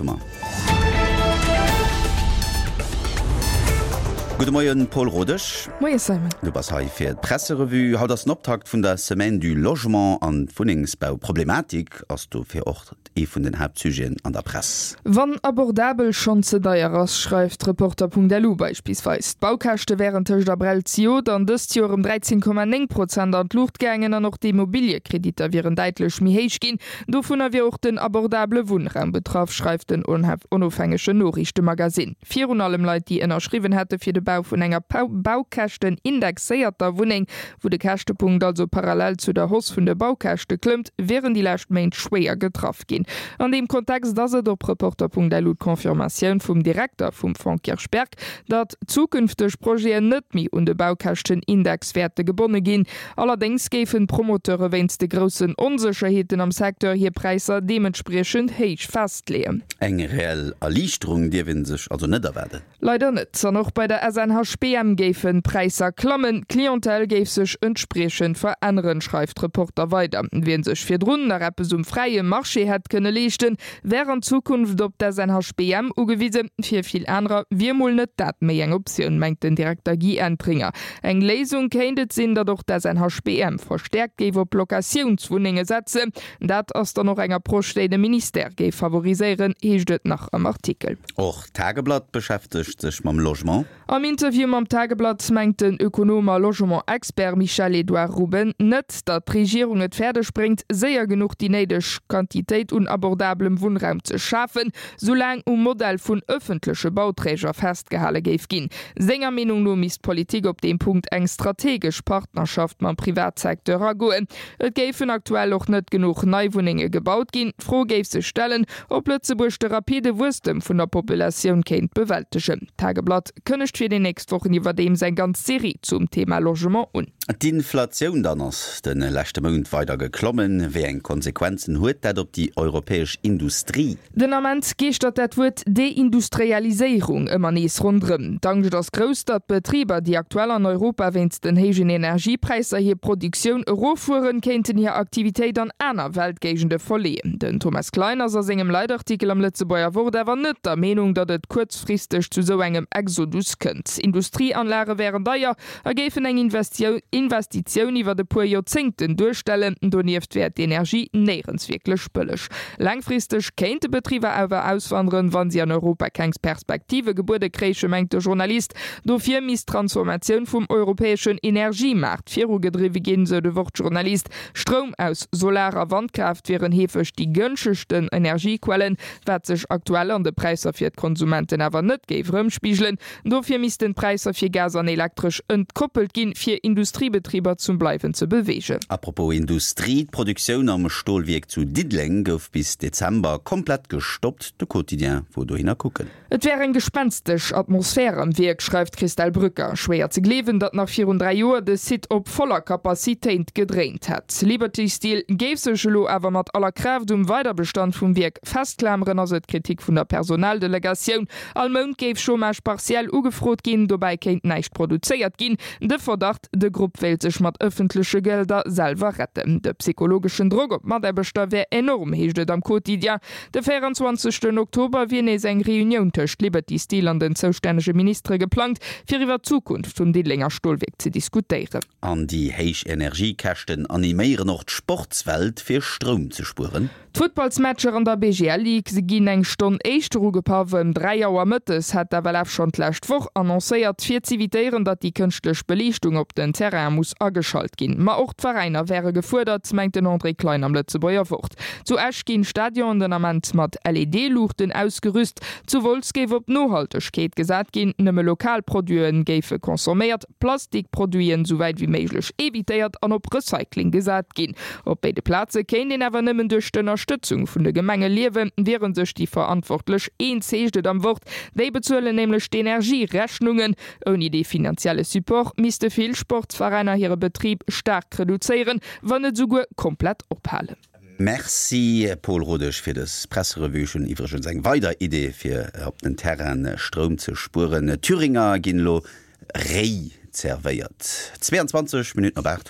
Wat hu mer? Gudde Moien, Paul Rodesch. Moie Simon. Du bass hei fir d'Presserevue. Haut ass den Optakt vun der Semaine du Logement an d'Wunnengsbauproblematik ass dofir och ee vun den Haaptsujeten an der Press. Wann abordabel schonn ze deier ass, schreift Reporter.lu beispillsweis. D'Baukäschte wären tëscht Abrell zejoert an dëst Joer ëm 13,9 Prozent an d'Luucht gaangen an och d'Immobiliekreditter wieren däitlech méi héich ginn. Dovunner wier och den abordabele Wunnraum betraff, schreift den onofhängegen Noriichtemagazin. Virun allem Leit, déi ënnerschriwwen hätte fir de Bau vun enger baukäschtenindexéierter Wunneng, wou de Käschtepunkt also parallel zu der Hausse vun de Baukäschte klëmmt, wieren déi lescht Méint schwéier getraff ginn. An deem Kontext ass et op Reporter.lu d'Confirmatioun vum Direkter vum Fonds Kirchberg, datt zukünfteg Projeten net méi un de Baukäschtenindex wäerte gebonne ginn. Allerdéngs géifen d'Promoteure wéinst de groussen Onsécherheeten am Secteur hir Präisser deementspriechend héich festleeën. Eng reell Erliichterung dierf ee sech also net erwaarden. Leider net. An och bei der SNHBM géifen d'Präisser klammen, d'Clientèle géif sech entspriechend veränneren, schreift Reporter weider. Wien sech virdrun nach eppes um fräie Marché hätt kënne leeschten, wär an Zukunft op d'SNHBM ugewisen. Fir vill anerer wier mol net dat méi eng Optioun, mengt den Direkter Guy Entringer. Eng Léisung kéint et sinn, datt och d'SNHBM verstäerkt géif op Locatiounswunnenge setzen. Dat ass dann och eng Approche, déi de Ministère géif favoriséieren, heescht et nach am Artikel. Och d'Tageblatt beschäftegt sech mam Logement. Am Interview mam Tageblatt mengt den Ökonom a Logement-Expert Michel-Edouard Ruben net, datt d'Regierung et fäerdeg bréngt, séier genuch déi néideg Quantitéit un abordablem Wunnraum ze schafen, soulaang um Modell vun ëffentleche Bauträger festgehale géif ginn. Senger Meenung no misst d'Politik op deem Punkt eng strategesch Partnerschaft mam Privatsecteur agoen. Et géifen aktuell och net genuch nei Wunnenge gebaut ginn. D'Fro géif sech stellen, ob Lëtzebuerg de rapide Wuesstem vun der Populatioun kéint bewältegen. D'Tageblatt kënnegt fir déi nächst Wochen iwwerdeems eng ganz Serie zum Thema Logement un. D'Inflatioun dann ass de leschte Mount weider geklommen. Wéi eng Konsequenzen huet dat op déi europäesch Industrie? Den Ament geeschtert dat Wuert Deindustrialiséierung ëmmer nees ronderëm. D'Angscht ass grouss, datt Betriber, déi aktuell an Europa wéinst den héijen Energiepräisser hir Produktioun eroffueren, kéinten hir Aktivitéit an aner Weltgéigende verleeën. Den Thomas Klein ass a sengem Leitartikel am Lëtzebuerger Wort awer net der Meenung, datt et kuerzfristeg zu sou engem Exodus kënnt. Industrieanlage wären deier a géifen eng Investitioun iwwert e puer Joerzéngten duerstellen. Donieft wär d'Energie néierens wierklech bëlleg. Laangfristeg kéinte Betriber awer auswanderen, wa si an Europa keng Perspektive gebuede kréichen, mengt de Journalist. Dofir misst d'Transformatioun vum europäeschen Energiemaart virugedriwwe ginn, sou de Wort-Journalist. Stroum aus Solar a Wandkraaft wieren heefeg déi gënschegsten Energiequellen, wat sech aktuell an de Präisser fir d'Konsumenten awer net géif erëmspigelen. Dofir missten d'Präisser fir Gas an Elektresch entkoppelt ginn, fir Industriebetriber zum Bleiwen ze beweegen. A propos Industrie, D'Produktioun am Stolwierk zu Diddeleng gouf bis Dezember komplett gestoppt. De Quotidien wor dohinner kucken. Et wär eng gespenstesch Atmosphär am Wierk, schreift d'Christelle Brücker. Schwéier ze gleewen, datt nach virun 3 Joer de Site op voller Capacitéint gedréint hätt. Liberty Steel géif sech elo awer mat aller Kraaft um Weiderbestand vum Wierk festklameren, ass et d'Kritik vun der Personaldelegatioun. All Mount géif Chômage partiel ugefrot ginn, dobäi kéint näischt produzéiert ginn. De Verdacht, de Grupp wéilt sech mat ëffentleche Gelder selwer retten. De psychologeschen Drock op d'Mataarbechter wär enorm, heescht et am Quotidien. De 24 Oktober wier nees eng Reunioun tëscht Liberty Steel an den zoustännege Ministere geplangt, fir iwwer d'Zukunft vum Diddelenger Stolwierk ze diskutéieren. An déi héich Energiekäschten animéieren och d'Sportswelt, fir Stroum ze spueren. D'Futtballsmatcher an der BGL Ligue ginn eng Stonn éischter ugepaff. Ëm 3 Auer mëttes hat d'FLF schonn d'lescht Woch annoncéiert, fir z'evitéieren, datt déi kënschtlech Beliichtung op den Terrainen muss ageschalt ginn. Ma och d'Veräiner wäre gefuerdert, mengt den André Klein am Lëtzebuerger Wort. Zu Esch ginn d'Stadionen den Ament mat LED-Luuchten ausgerüst. Zu Wolz géif op Nohaltegkeet gesat ginn, nëmme lokal Produite géife consomméiert. Plastikproduiten sou wäit wéi méiglech evitéiert an op Recycling gesat ginn. Op béide Plaze kéint een awer nëmmen duerch d'Ënnerstëtzung vun de Gemenge liewen, wiere sech déi Verantwortlech eens, heescht et am Wort. Déi bezuelen nämlech d'Energierechnungen. Ouni dee finanzielle Support misste vill Sportsveräiner hire Betrib staark reduzéieren, wann net esouguer komplett ophalen. Merci Paul Rodesch fir dës Presserevue. Ech hunn iwwregens eng weider Idee fir op den Terrainen Stroum ze spueren. D'Thüringer ginn elo réi zervéiert. 22 Minutten op 8.